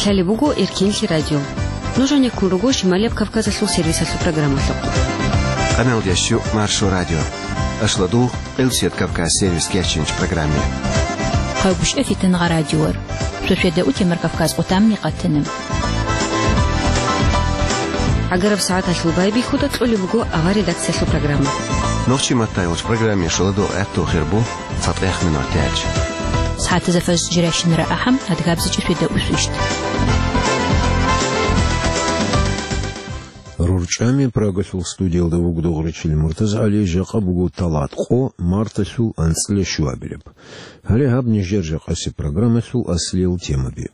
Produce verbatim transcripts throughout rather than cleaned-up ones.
Лъалеб буго Эркенлъи радио. Нуж гӀенеккун руго Шималияб Кавказалъул сервисалъул программалъухъ. Къаналдящу Маршо радио. Ашладу Элсет Кавказ сервис кечинч программе. Хъайбуш эфитан гъа радиор. Сосведа утемар Кавказ отамни къатана. ГӀагараб сагӀаталъул байбихьуда кьолеб буго авар редакциялъул программа. Нохчи маттайолч программе шоладо гӀатту хирбу. ЦатӀехъ минут тяч. СагӀатазда фажр жиращинара ахӀам, адгабзичӀеб светда усвищт. РорчӀами Прагалъул студиялда вуго Дугъричил МуртазагӀали, жакъа буго талат къо, марталъул анцӀила щуабилеб. Гьале гьаб нижер жакъасеб программалъул аслиял темаби.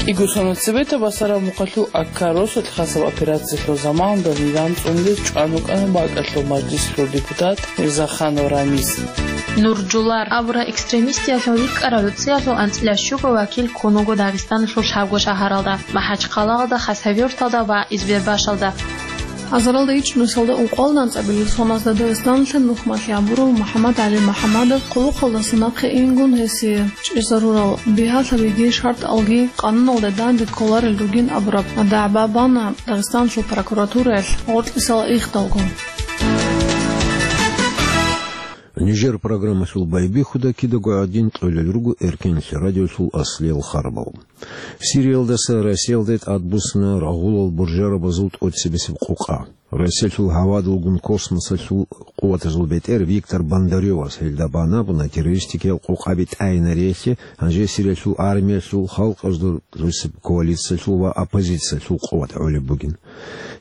КӀиго соналъ цебетаб Басараб мухъалъул Акка росулъ хасаб операциялъул заманалда низам цӀунулез чӀван вукӀана бакӀалъул мажлисалъул депутат Мирзаханов Рамис. Нуржулар абурал экстремистиялъул рикӀкӀарал гӀуцӀиялъул анцӀила щуго вакил ккун вуго Дагъистаналъул лъабго шагьаралда: МахӀачхъалаялда, Хасавюрталда ва Избербашалда. Азаралда ичӀнусалда ункъоялда анцӀабилеб соназда Дагъистаналъе нухмалъи гьабурав МухӀаммад ГӀали МухӀаммадов хъулухъалдаса нахъе ингун гьесие чӀезарурал бигьалъабиги шартӀалги къануналда данде кколарел ругин абураб дагӀба бана Дагъистаналъул прокуратураялъ гъоркьисал ихдалго. Нижер программалъул байбихьуда кидаго гӀадин кьолел руго Эркенлъи радиолъул аслиял харбал. Сириялдаса Россиялде тӀадбуссина рагъулал буржарабазул тӀоцебесеб къокъа. Россиялъул гьавадулгун космосалъул къуватазул бетӀер Виктор Бондарёвас гьелда бан абуна террористикиял къокъаби тӀайинариялъе, гьанже Сириялъул армиялъул, халкъазул росияб коалициялъул ва оппозициялъул къуват гӀолеб бугин.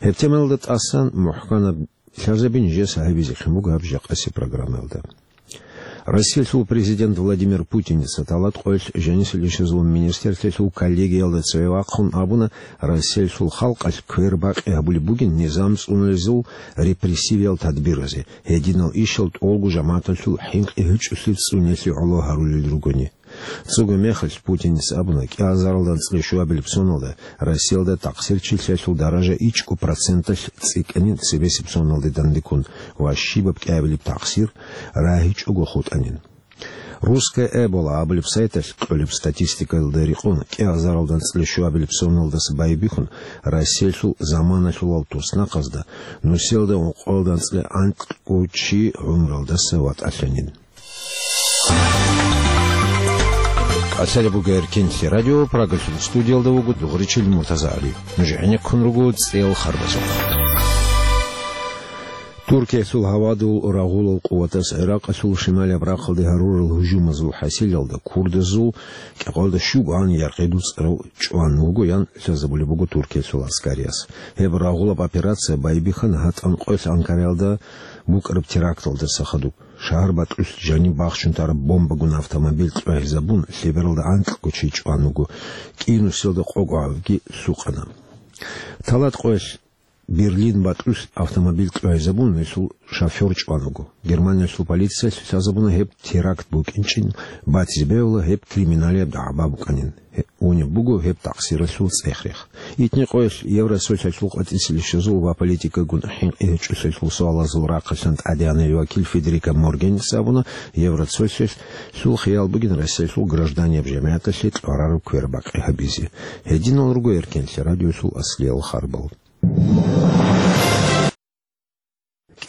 Гьеб темаялда тӀасан мухӀканаб лъазаби нижеца гьабизе ккун буго гьаб жакъасеб программаялда. Россиялъул президент Владимир Путиница талат къоялъ жанисел ишазул министрлъиялъул коллегиялда цеве вахъун абуна, Россиялъул халкъалъ квербакъи гьабулеб бугин низам цӀунулезул репрессивиял тадбиразе, гьединал ишал тӀолго жамагӀаталъул хӀинкъи гьечӀолъи цӀуниялъе гӀоло гьарулел ругони. Цого мехалъ Путиница абуна, кӀиазаралда анцӀила щуабилеб соналда Россиялда такъсирчилъиялъул даража ичӀго проценталъ цӀикӀкӀанин цебесеб соналде дандеккун ва щибаб кӀиабилеб такъсир рагьичӀого хутӀанин. «Русская Эбола» абулеб сайталъ кьолеб статистикаялда рекъон, кӀиазаралда анцӀила щуабилеб соналдаса байбихьун, Россиялъул заманалъулал туснахъазда нусиялда ункъоялда анцӀила анкьго чи гӀумралдаса ватӀалъанин. Лъалеб буго Эркенлъи радио, Прагалъул студиялда вуго Дугъричил МуртазагӀали. Нуж гӀенеккун руго цӀел харбазухъ. Туркиялъул гьавадул рагъулал къуватас ГӀиракъалъул шималияб рахъалде гьарурал гьужумазул хӀасилалда курдазул кӀикъоялда щуго гьаниб яркъи дуцӀарав чӀван вуго, ян лъазабулеб буго Туркиялъул гӀаскариялъ. Гьеб рагъулаб операция байбихьана гьатӀан къоялъ Анкараялда букӀараб теракталдаса хадуб. Шагьар бакьулъ жаниб бахчун тараб бомбагун автомобиль кьвагьизабун, лъебералда анкьго чи чӀван вуго, кӀинусиялда къого гӀавги лъукъана. Талат къоялъ Берлин бакьулъ автомобиль кьвагьизабун, гьесул шофер чӀван вуго. Германиялъул полициялъ лъазабуна гьеб теракт букӀинчӀин батизе бегьула, гьеб криминалияб дагӀба букӀанин. Гье-, унеб буго гьеб такъсиралъул цӀех-рех. Итни къоялъ Евросоюзалъул къватӀисел ишазул ва политикагун хӀинкъи гьечӀолъиялъул суалазул рахъалъан тӀадегӀанав вакил Федерика Могерини абуна, Евросоюзалъул хиял бугин Россиялъул гражданияб жамигӀаталъе кьварараб квербакъи гьабизе. Гьединал руго Эркенлъи радиолъул аслиял харбал.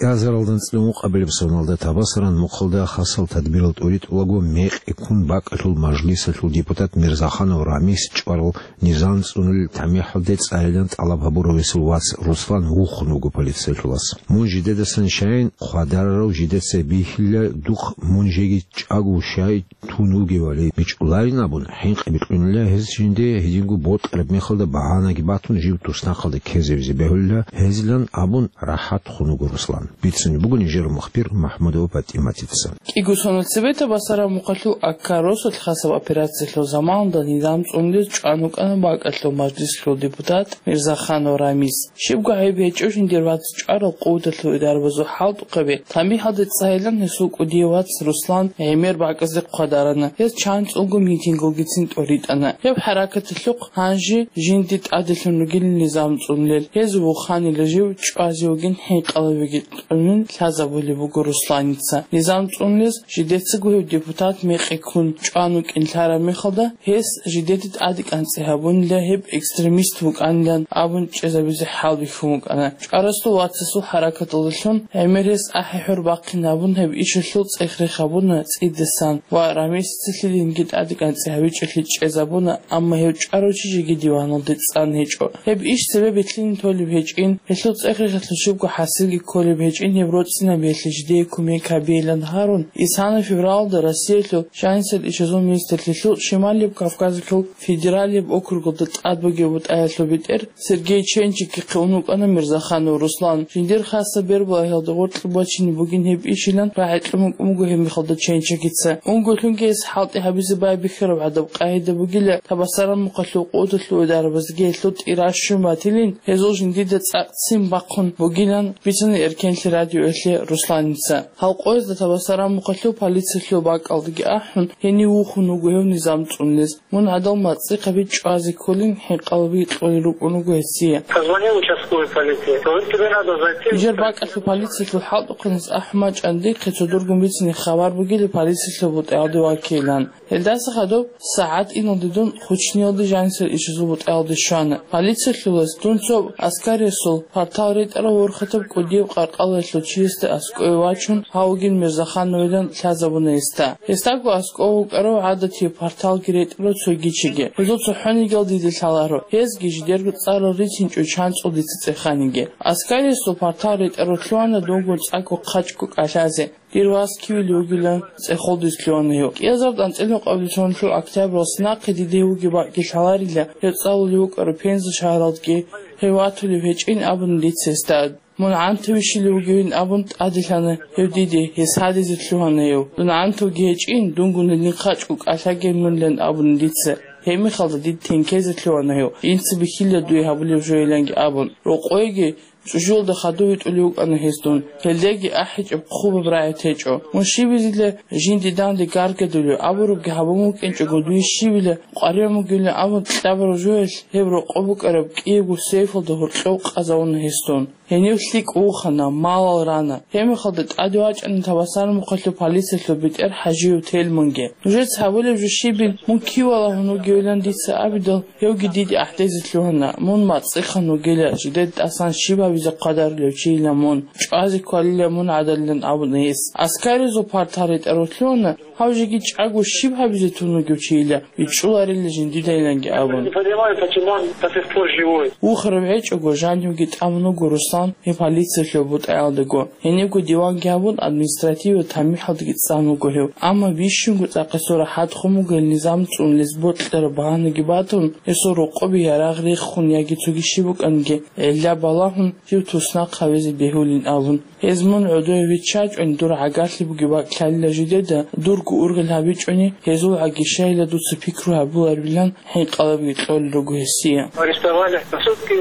КӀиазаралда анцӀила ункъабилеб соналда Табасаран мухъалда хасал тадбирал тӀуритӀулаго мекъи ккун бакӀалъул мажлисалъул депутат Мирзаханов Рамис чӀварал низам цӀунулел тамихӀалде цӀалилан тӀалаб гьабурав гьесул вац Руслан вухун вуго полициялъулас. Мун жидедасан щайин хъвадарарав жидеца бихьила, духъ мун жеги чӀаго щай тун вугевали, бичӀчӀуларин абун, хӀинкъи бикьунила гьез жинде, гьединго бокьараб мехалда багьанаги батун, жив туснахъалда ккезавизе бегьулила гьезилан абун, рахӀат хун вуго Руслан. Бицунеб буго нижер мухбир МахӀмудова ПатӀиматица. КӀиго соналъ цебетаб Басараб мухъалъул Акка росулъ хасаб операциялъул заманалда низам цӀунулез чӀван вукӀана бакӀалъул мажлисалъул депутат Мирзаханов Рамис. Щибго гӀайиб гьечӀо жиндир вац чӀварал къуваталъул идарабазул хӀалтӀухъаби тамихӀалде цӀалилан гьесул кӀудияв вац Руслан гӀемер бакӀазде хъвадарана. Гьез чанцӀулго митингугицин тӀуритӀана. Гьеб хӀаракаталъухъ гьанже жинди тӀаделъун ругилин низам цӀунулел, гьез вуханила жив чӀвазе вугин хӀинкъалавиги. цӀунин лъазабулеб буго Русланица. Низам цӀунулез жидецаго гьев депутат мекъи ккун чӀван вукӀин лъараб мехалда, гьес жидеде тӀаде кӀанцӀи гьабунила гьеб экстремист вукӀанилан абун чӀезабизе хӀалбихьун вукӀана. ЧӀварасул вацасул хӀаракаталдалъун гӀемер гьес ахӀи-хӀур бахъин абун гьеб ишалъул цӀех-рех гьабуна цӀидасан ва рамесицалъилинги тӀаде кӀанцӀи гьабичӀолъи чӀезабуна, амма гьев чӀварав чи жеги диваналде цӀан гьечӀо. Гьеб иш цебе бихьинин толеб гьечӀин, гьелъул цӀех-рехалъул щибго хӀасилги кколеб гьечӀин, гьеб роцӀцӀинабиялъе жидее кумек гьабейилан гьарун, исана февралда Россиялъул жанисел ишазул министрлъилъул Шималияб Кавказалъул федералияб округалда тӀад бугеб бутӀаялъул бетӀер Сергей Ченчикихъе ун вукӀана Мирзаханов Руслан. Жиндир хасаб бербалагьиялда гъоркье бачине бугин гьеб ишилан рагӀи кьун вукӀун буго гьеб мехалда Ченчикица. Унго-лъунги гьес хӀалтӀи гьабизе байбихьараб гӀадаб къагӀида бугила, Табасарамухъалъул къудалъул идарабазги гьелъул тӀира щун батилин, гьезул жиндида цӀакъ ццин бахъун бугилан бицана Эркенлъи радиоялъе Русланица. Гьал къоязда Табасарамухъалъул полициялъул бакӀалдаги ахӀун, гьенив вухун вуго гьев низам цӀунулез. Мун гӀадал мацӀихъаби чӀвазе кколин хӀинкъалаби кьолел рукӀун руго гьесие. Позвонил участковый полиции. Говорит, тебе надо зайти. Нижер бакӀалъул полициялъул хӀалтӀухъанас ахӀмачӀан дихъе цо дургун бицине хабар бугила полициялъул бутӀаялде вакилан. Гьелдаса хадуб сагӀат иналде дун Хучниялде жанисел ишазул бутӀаялде щвана. Полициялъулас дун цо Аскариясул партал ретӀарав ворхатаб кӀудияб къаркъалаялъул чиясда аскӀове вачун, гьав вугин Мирзахановилан лъазабуна гьесда. Гьесдаго аскӀов вукӀарав гӀадатияб парталги ретӀарав цоги чиги. Гьезул цохӀонигиял дида лъаларо. Гьезги жидерго цӀарал рицинчӀо чанцӀул дица цӀеханиги. Аскариясул партал ретӀарав лъугьана дунгун цӀакӀго хъачӀго кӀалъазе. Дир вас кивилев вугилан цӀехолдиз лъугьана гьев. КӀиазаб анцӀила къабилсонлъул октябралъ нахъе дида гьев вугеб бакӀги лъаларила, гьев цӀалулев вукӀарав Пенза шагьаралдги гьев ватулев гьечӀин абуна дица гьесда. Мун гӀантаве щилев вугевин абун тӀаделъана гьев диде, гьес гьадизе лъугьана гьев. Дун гӀантавги гьечӀин, дунгун гьедин хъачӀго кӀалъаге мунилан абуна дица. Гьеб мехалда дида тенкезе лъугьана гьев, жинца бихьила дуе гьабулеб жойиланги абун. Рокъойги чӀужуялда хадув витӀулев вукӀана гьес дун. Гьелдеги ахӀичӀеб хъубаб рагӀи течӀо. Мун щибизила жинди данде гаргадулев абурабги гьабун вукӀинчӀого, дуе щибила къваригӀун бугилан абун кьабураб жоялъ гьеб рокъоб букӀараб кӀиябго сейфалда гьоркьов къазавуна гьес дун. Гьенив лъикӀ вухана, малал рана. Гьеб мехалда тӀаде вачӀана Табасарамухъалъул полициялъул бетӀер ХӀажиев Тельманги. Нужеца гьабулеб жо щибин, мун киве валагьун вугевилан дица абидал, гьевги диде ахӀдезе лъугьана. Мун мацӀихъан вугила, жидеда тӀасан щиб гьабизе хъвадарулев чийила мун, чӀвазе кколила мун гӀадалилан абуна гьес. Аскаризул партал ретӀарав лъугьана, гьав жеги чӀаго щиб гьабизе тун вугев чийила, бичӀчӀуларила жиндидайиланги абун. Не понимаю, почему он до сих пор живой. Вухарав гьечӀого, жанивги тӀамун вуго Руслан гьеб полициялъул бутӀаялдаго. Гьенибго диванги гьабун, административал тамихӀалдаги цӀан вуго гьев. Амма бищунго цӀакъ гьесул рахӀат хун буго гьел низам цӀунулез бокьараб багьанаги батун, гьесул рокъобе ярагъ рехун яги цоги щиб букӀанги гӀилла балагьун, жив туснахъ гьавизе бегьулин абун. Гьез мун гӀодове виччачӀони, дур гӀагарлъи бугеб бакӀ лъалила жидеда, дурго ургъел гьабичӀони, гьезул гӀагишайила дуца пикру гьабуларилан хӀинкъалабги кьолел руго гьесие. Арестовали. Сутки,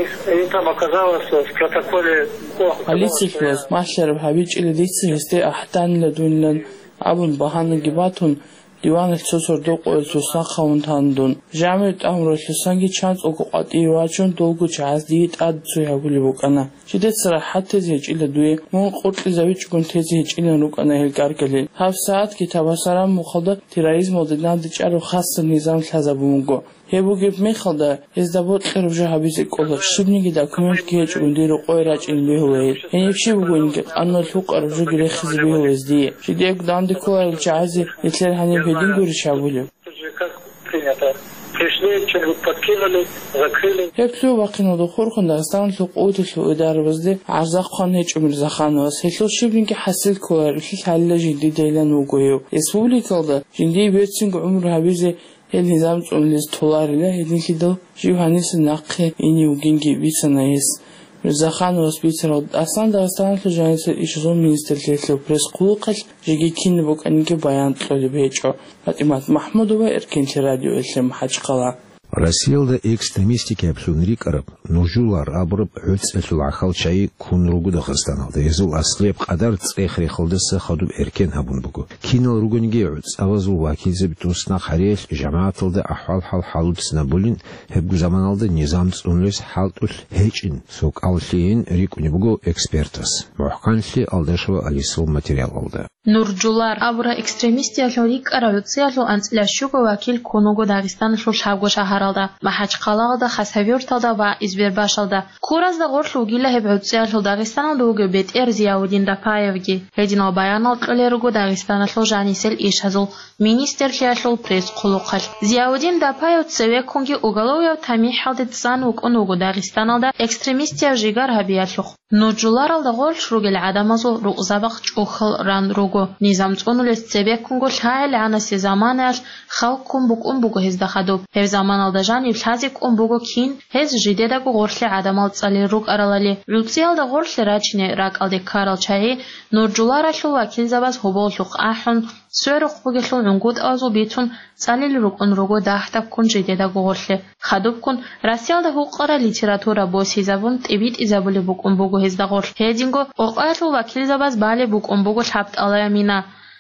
и там оказалось в протоколе. Полицияс малъараб гьабичӀила дица гьесде ахӀданила дунилан абун багьанаги батун, диваналъ цо сордо къоялъ туснахъ гьавун тана дун. Жамир тӀамуралъусанги чанцӀулго къватӀиве вачун, долго чагӀаз дие тӀад цой гьабулеб букӀана. Жидеца рахӀат тезе гьечӀила дуе, мун къуркьизавичӀогун тезе гьечӀилан рукӀана гьел гаргалил. Гьаб сагӀатги Табасарамухъалда терроризмалде нандичӀараб хасаб низам лъазабун буго. Гьеб бугеб мехалда, гьезда бокьараб жо гьабизе кӀола, щибниги документги гьечӀого дир рокъое рачӀин бегьула гьел. Гьениб щиб бугониги, къануналъ гьукъараб жоги рехизе бегьула гьез дие. Жидеего данде кколарел чагӀазе нилъер гьаниб гьедин гурищ гьабулеб? Как принято. Пришли, что-нибудь подкинули, закрыли. Гьеб лъугьа-бахъиналда хурхун Дагъистаналъул къуваталъул идарабазде гӀарза хъван гьечӀо Мирзахановас. Гьелъул щибниги хӀасил кколаревлъи лъалила жиндидайилан вуго гьев. Республикалда жиндие берцинго гӀумру гьабизе гьел низам цӀунулез толарила, гьединлъидал жив гьаниса нахъе ине вугинги бицана гьес. Мирзахановас бицарал, Дагъистаналъул жанисел ишазул министрлъиялъул пресс-хъулухъалъ жеги кинаб букӀаниги баян кьолеб гьечӀо. ПатӀимат МахӀмудова, Эркенлъи радиоялъе МахӀачхъала. Россиялда экстремистикаблъун рикӀкӀараб Нуржулар абураб гӀуцӀиялъул гӀахьал чагӀи ккун руго Дагъистаналда. Гьезул аслияб къадар цӀех-рехалдаса хадуб эркен гьабун буго. Кинал ругониги гӀуцӀабазул вакилзаби туснахъ гьариялъ жамагӀаталда ахӀвал-хӀал хӀалбицинабулин, гьебго заманалда низам цӀунулес хӀалтӀулъ гьечӀин, цо кӀаллъийин рикӀкӀунеб буго экспертас. МухӀканлъи Алдашева Алисал материалалда. Нуржулар абураб экстремистиялъул рикӀкӀараб гӀуцӀиялъул анцӀила щуго вакил ккун вуго Дагъистаналъул лъабго шагьаралда, МахӀачхъалаялда, Хасавюрталда ва Избербашалда. Куразда гъорлъ вугила гьеб гӀуцӀиялъул Дагъистаналда вугев бетӀер Зияудин Дапаевги. Гьединал баянал кьолел руго Дагъистаналъул жанисел ишазул министрлъиялъул пресс-хъулухъалъ. Зияудин Дапаев цевеккунги уголовияв тамихӀалде цӀан вукӀун вуго Дагъистаналда экстремистияв жигар гьабиялъухъ. Нуржуларалда гъорлъ ругел гӀадамазул рукъзабахъ чӀухьал ран руго. Низам цӀунулес цебеккунго лъагӀел гӀанасе заманаялъ хал ккун букӀун буго гьезда хадуб. Гьеб заманалда жанив лъазе кӀун буго кин гьез жидедаго гъорлъе гӀадамал цӀалел рукӀаралали. ГӀуцӀиялда гъорлъе рачине ракӀалде ккарал чагӀи Нуржуларалъул вакилзабаз гьоболлъухъ ахӀун, сверухъ бугелъул гӀунгутӀазул бицун цӀалел рукӀун руго дагьдабккун жидедаго гъорлъе. Хадубккун Россиялда гьукъарал литература босизабун тӀибитӀизабулеб букӀун буго гьезда гъорлъ. Гьединго къокъаялъул вакилзабаз балеб букӀун буго лъабтӀалая мина.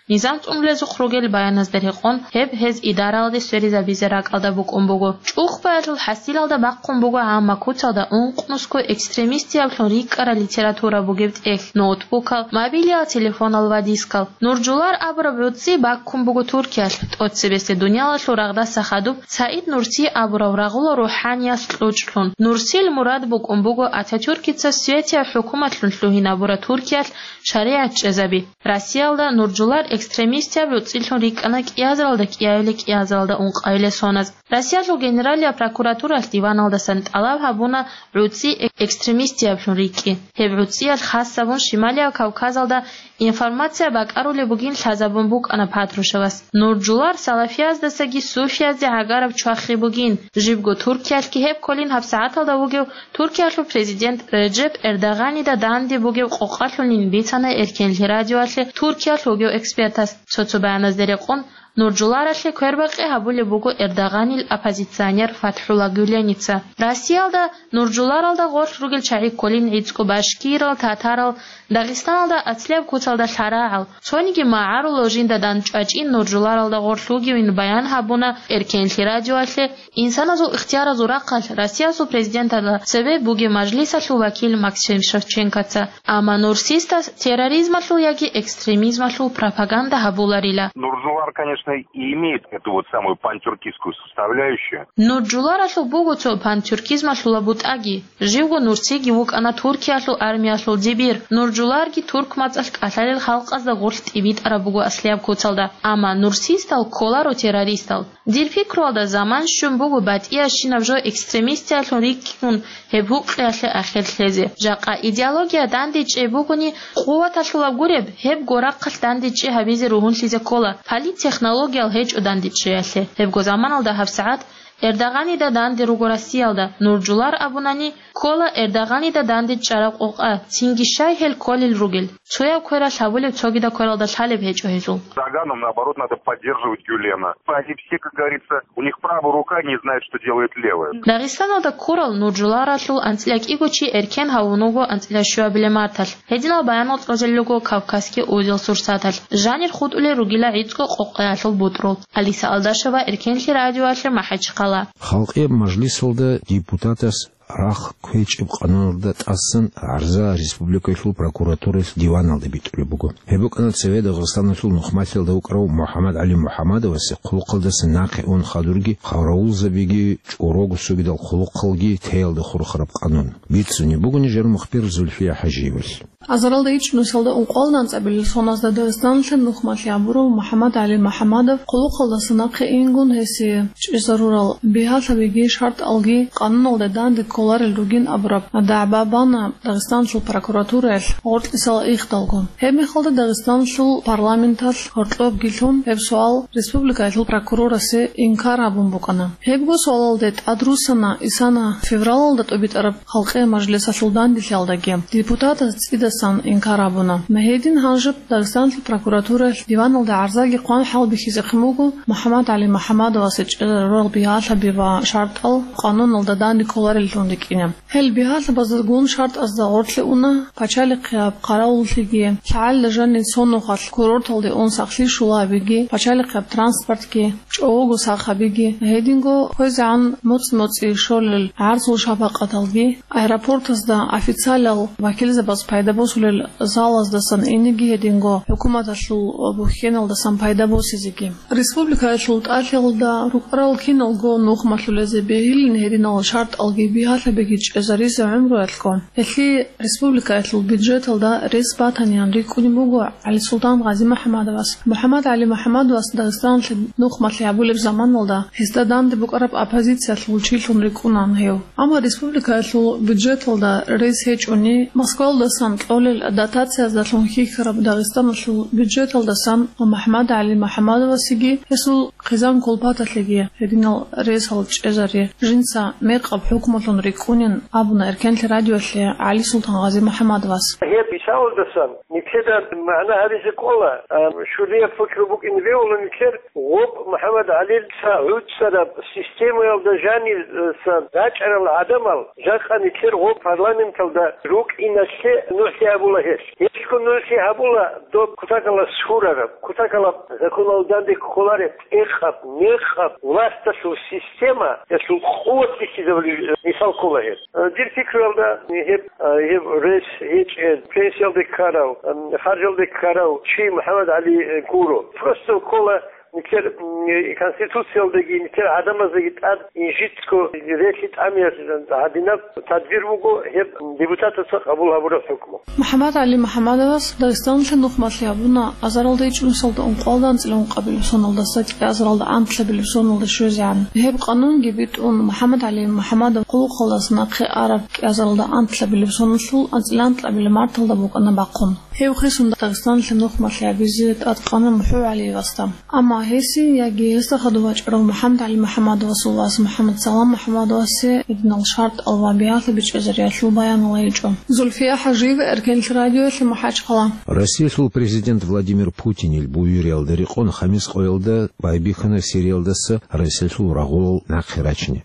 Низам цӀунулезухъ ругел баяназда рекъон, гьеб гьез идаралде сверизабизе ракӀалда букӀун буго. ЧӀухбаялъул хӀасилалда бахъун буго гӀамма куцалда ункънусго экстремистияблъун рикӀкӀарал литература бугеб тӀехь, ноутбукал, мобилиял телефонал ва дискал. Нуржулар абураб гӀуцӀи баккун буго Туркиялъ, тӀоцебесеб дуниялалъул рагъдаса хадуб Саид Нурси абурав рагъула рухӀаниялъ кьучӀлъун. Нурсил мурад букӀун буго Ататюркица светияв хӀукуматлъун лъугьинабураб Туркиялъ шаригӀат чӀезаби. Россиялда Нуржулар экстремистияб гӀуцӀилъун рикӀкӀана кӀиазаралда кӀиабилеб, кӀиазаралда ункъабилеб соназ. Россиялъул Генералияб прокуратуралъ диваналдасан тӀалаб гьабуна гӀуцӀи экстремистияблъун рикӀкӀи. Гьеб гӀуцӀиялъ хас гьабун Шималияб Кавказалда информация бакӀарулеб бугин лъазабун букӀана Патрушевас. Нуржулар салафияздасаги суфиязде гӀагараб чвахи бугин. Жибго Туркиялъги гьеб кколин гьабсагӀаталда вугев Туркиялъул президент Реджеп Эрдоганида данде бугеб къокъалъулин бицана Эркенлъи радиоялъе Туркиялъ вугев экспертас. Цо-цо баяназда рекъон, Нуржуларалъе квербакъи гьабулеб буго Эрдоганил оппозиционер ФатхӀула Гюленица. Россиялда Нуржуларалда гъорлъ ругел чагӀи кколин гӀицӀго башкирал, татарал, Дагъистаналда аслияб куцалда лъарагӀал, цониги магӀарулал жинда дандчӀвачӀин Нуржуларалда гъорлъ вугевин баян гьабуна Эркенлъи радиоялъе инсаназул ихтияразул рахъалъ Россиялъул президенталда цебе бугеб мажлисалъул вакил Максим Шевченкоца. Амма Нурсиста терроризмалъул яги экстремизмалъул пропаганда гьабуларила. Нуржулар, конечно, и имеет эту вот самую пантюркистскую составляющую. Нуржуларалъул буго цо пантюркизмалъула бутӀаги. Живго Нурсиги вукӀана Туркиялъул армиялъул дибир. Нуржуларги турк мацӀалъ кӀалъалел халкъазда гъорлъ тӀибитӀараб буго аслияб куцалда. Амма Нурсистал кколаро террористал. Дир пикруялда заман щун буго батӀиящинаб жо экстремистиялъун рикӀкӀун гьеб гьукъиялъе ахир лъезе. Жакъа идеология дандечӀей бугони, къуваталъулаб гуреб, гьебго рахъалъ дандечӀей гьабизе ругьунлъизе ккола, политтехнологиял гьечӀо дандечӀеялъе. Гьебго заманалда гьабсагӀат Эрдоганида данде руго Россиялда, Нуржулар абунани, ккола Эрдоганида данде чӀараб къокъа, цинги щай гьел кколел ругел. Цояв квералъ гьабулеб цогидаб квералда лъалеб гьечӀо гьезул. Эрдогану, наоборот, надо поддерживать Гюлена. Они все, как говорится, у них правая рука не знает, что делает левая. Дагъистаналда ккурал Нуржуларалъул анцӀила кӀиго чи эркен гьавун вуго анцӀила щуабилеб марталъ. Гьединал баянал цӀалулел руго Кавказский узел Сурсаталъ. Жанир хутӀулел ругила гӀицӀго къокъаялъул бутӀрул. Алиса Алдашева, Эркенлъи радиоялъе, МахӀачхъала. Халкъияб мажлисалда депутатас рахъ кквечӀеб къануналда тӀасан гӀарза республикаялъул прокуратураялъ диваналда битӀулеб буго. Гьеб букӀана цеве Дагъистаналъул Нухмалъиялда вукӀарав МухӀаммад ГӀали МухӀаммадовасе хъулухъалдаса нахъе ун хадурги, хавраулзабиги, чӀорого цогидал хъулухъалги теялда хурхараб къанун. Бицунеб буго нижер мухбир Зульфия ХӀажиевалъ. Азаралда ичӀнусиялда ункъоялда анцӀабилеб соназда Дагъистаналъе Нухмалъи абурав МухӀаммад ГӀали МухӀаммадов хъулухъалдаса нахъе ингун гьесие чӀезарурал бигьалъабиги шартӀалги къануналда данде кколарел ругин абураб дагӀба бана Дагъистаналъул прокуратураялъ гъоркьисал ихдалго. Гьеб мехалда Дагъистаналъул парламенталъ гьоркьобгилъун гьеб суал республикаялъул прокурорасе инкар гьабун букӀана. Гьебго суалалде тӀадруссана исана февралалда тӀубитӀараб Халкъи мажлисалъул данделъиялдаги. Депутатас цӀида сан инкар гьабуна. Гьедин гьанжеб Дагъистаналъул прокуратураялъ диваналда гӀарзаги хъван хӀалбихьизехъин буго МухӀаммад ГӀали МухӀаммадовасе чӀезари рорал бигьалъаби ва шартӀал къануналда данде кколареллъун рикӀкӀине. Гьел бигьалъабаздагун шартӀазда гъорлъе уна пачалихъияб хъаравуллъиги, лъагӀалда жанир цо нухалъ курорталде ун сахлъи щола гьабиги, пачалихъияб транспортги, чӀового сах гьабиги, гьединго хвезегӀан моцӀ-моцӀи щолел гӀарзул шапакъаталги, аэропортазда официалал вакилзабаз пайда босулел залаздасан инеги, гьединго хӀукуматалъул бухьеналдасан пайда босизеги. Республикаялъул тӀалъиялда рукӀарал киналго нухмалъулезе бегьилин гьединал шартӀалги бигьалъабиги чӀезаризе гӀумруялъго, гьелъие республикаялъул бюджеталда рес батанин рикӀкӀунеб буго ГӀалисултан ГъазимухӀаммадовас. МухӀаммад ГӀали МухӀаммадовас Дагъистаналъе нухмалъи гьабулеб заманалда гьесда данде букӀараб оппозициялъул чилъун рикӀкӀунан гьев. Амма республикаялъул бюджеталда рес гьечӀони, Москваялдасан кьолел дотацияздалъун хьихьараб Дагъистаналъул бюджеталдасан МухӀаммад ГӀали МухӀаммадовасеги гьесул хъизан-кулпаталъеги гьединал ресал чӀезари, жинца мекъаб хӀукмулъун рикӀкӀунин абуна Эркенлъи радиоялъе ГӀалисултан ГъазимухӀаммадовас. Гьеб мисалалдасан нилъеда магӀна гьабизе кӀола, а, щулияб пикру букӀин бегьула нилъер гъоб МухӀаммад ГӀалица гӀуцӀараб системаялда жаниса рачӀарал гӀадамал жакъа нилъер гъоб парламенталда рукӀиналъе нугӀлъи гьабула гьелъ. Гьелъго нугӀлъи гьабула доб кутакалас хьурараб, кутакалаб законалда данде кколареб, тӀехаб, мекъаб власталъул системаялъул къуват бихьизабулеб мисал ккола гьеб. Дир пикруялда гьеб, гьеб рес гьечӀел, пенсиялде ккарав, харжалде ккарав чи МухӀаммад ГӀали гуро. Просто ккола нилъер, м, Конституциялдаги, нилъер гӀадамаздаги тӀад инжитго релълъи тӀамиялъе гьадинаб тадбир буго гьеб депутатаца къабул гьабураб хӀукму. МухӀаммад ГӀали МухӀаммадовас Дагъистаналъе нухмалъи гьабуна азаралда ичӀнусалда ункъоялда анцӀила ункъабилеб соналдаса кӀиазаралда анлъабилеб соналда щвезегӀан. Гьеб къанунги битӀун МухӀаммад ГӀали МухӀаммадов хъулухъалдаса нахъе араб кӀиазаралда анлъабилеб соналъул анцӀила анкьабилеб марталда букӀана бахъун. Гьев хисун Дагъистаналъе нухмалъи гьабизе тӀадкъана МухӀу ГӀалиевасда. Амма гьесие яги гьесда хадув вачӀарав МухӀаммад ГӀали МухӀаммадовасул вас МухӀаммад Салам МухӀаммадовасе гьединал шартӀал ва бигьалъи бичӀчӀизариялъул баянал гьечӀо. Зульфия ХӀажиева, Эркенлъи радиоялъе, МахӀачхъала. Россиялъул президент Владимир Путинил буюриялда рекъон хамис къоялда байбихьана Сириялдаса Россиялъул рагъулал нахъе рачине.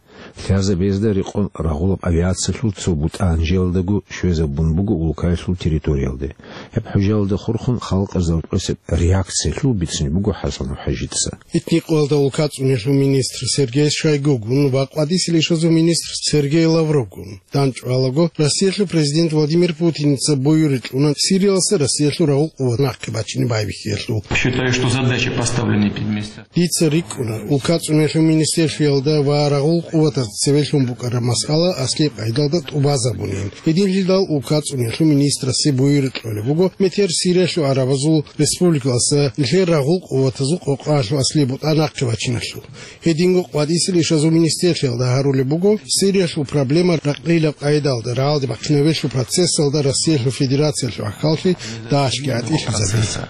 Лъазабезда рекъон рагъулаб авиациялъул цо бутӀа гьанжеялдаго щвезабун буго улкаялъул территориялде. Гьеб хӀужаялда хурхун халкъазда рокьосеб реакциялъул бицунеб буго ХӀасанов ХӀажица. Этникъоялда улкацӀунелъул министр Сергей Шойгугун ва къватӀисел ишазул министр Сергей Лавровгун. ДандчӀвалаго, Россиялъул президент Владимир Путиница буюри кьуна Сириялдаса Россиялъул рагъул къуват нахъе бачине байбихьиялъул. Считаю, что задачи, поставленные перед министерством. Дица рикӀкӀуна, улкацӀунелъул министрлъиялда ва рагъул къуватаз цевелъун букӀараб масъала аслияб къайдалда тӀубазабунин. Гьединлъидал улкацӀунелъул министрасе буюри кьолеб буго метер Сириялъул гӀарабазул республикалдаса нилъер рагъул къуватазул къокъаялъул аслияб бутӀа нахъе бачиналъул. Гьединго къватӀисел ишазул министрлъиялда гьарулеб буго, Сириялъул проблема ракълилаб къайдалда рагӀалде бахъинабелъул процессалда Россиялъул Федерациялъул ахӀаллъи дагьалъги гӀатӀилъизабизе.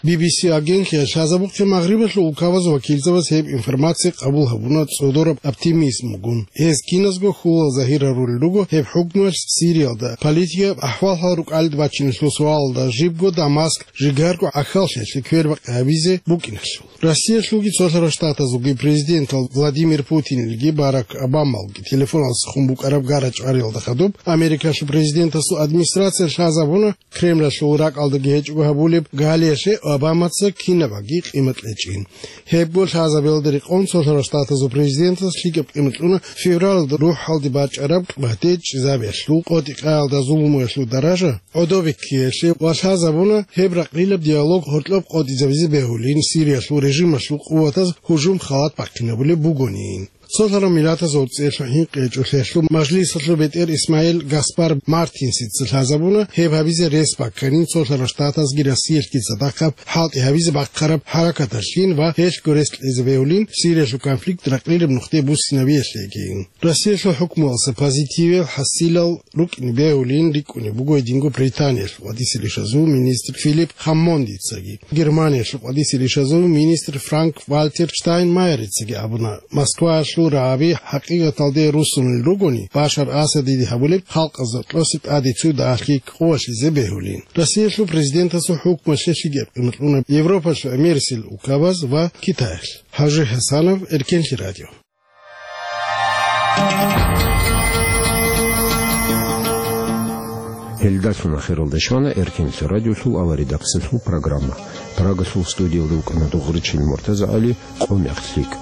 Би би си агентлъиялъ лъазабухъе Магърибалъул улкабазул вакилзабаз гьеб информация къабул гьабуна цӀодораб оптимизмгун. Гьез киназго хьулал загьир гьарулел руго гьеб хӀукмуялъ Сириялда политикаб ахӀвал-хӀал рукӀалде бачиналъул суалалда, жибго Дамаск жигарго гӀахьаллъиялъе квербакъи гьабизе букӀиналъул. Россиялъулги Цолъарал Штатазулги президентал Владимир Путинилги Барак Обамалги телефоналдаса хун букӀараб гара-чӀвариялда хадуб Америкалъул президентасул администрация лъазабуна, Кремлалъул ракӀалдаги гьечӀого гьабулеб галиялъе Обамаца кинабаги къимат кьечӀин. Гьебго лъазабиялда рекъон Цолъарал Штатазул президентас лъикӀаб къимат кьуна февралалда рухӀалде бачӀараб батӀи чӀезабиялъул къотӀи-къаялда зулумуялъул даража гӀодобиккиялъе ва лъазабуна гьеб ракълилаб диалог гьоркьоб къотӀизабизе бегьулин Сириялъул режималъул къуватаз гьужум-халат бахъинабулеб бугони. Цолъарал Миллатазул ЦӀералъул ХӀинкъичӀелъул Мажлисалъул бетӀер Исмаил Гаспар Мартинсица лъазабуна гьеб гьабизе рес бакканин Цолъарал Штатазги Россиялъги цадахъаб хӀалтӀи гьабизе бахъараб хӀаракаталъин ва гьелъго рес кьезе бегьулин Сириялъул конфликт ракълилаб нухде буссинабиялъегин. Россиялъул хӀукмуялъа позитивал хӀасилал рукӀине бегьулин рикӀкӀунеб буго гьединго Британиялъул къватӀисел ишазул министр Филипп Хаммондицаги, Германиялъул къватӀисел ишазул министр Франк-Вальтер Штайнмайерицаги абуна Москваялъул рагӀаби хӀакъикъаталде руссунел ругони, Башар Асадиде гьабулеб халкъазда кьоса тӀаде цо дагьалъи къоялъизе бегьулин. Россиялъул президентасул хӀукмалъе лъикӀаб къимат кьуна Европалъул гӀемерисел улкабаз ва Китаялъ. Гьажи ХӀасанов, Эркенлъи радио. Гьелдалъун ахиралда щвана Эркенлъи радиолъул аваридахъсилъул программа. Прагалъул студиялда вукӀана Дугъричил МуртазагӀали. Къо мехлъ лъикӀ.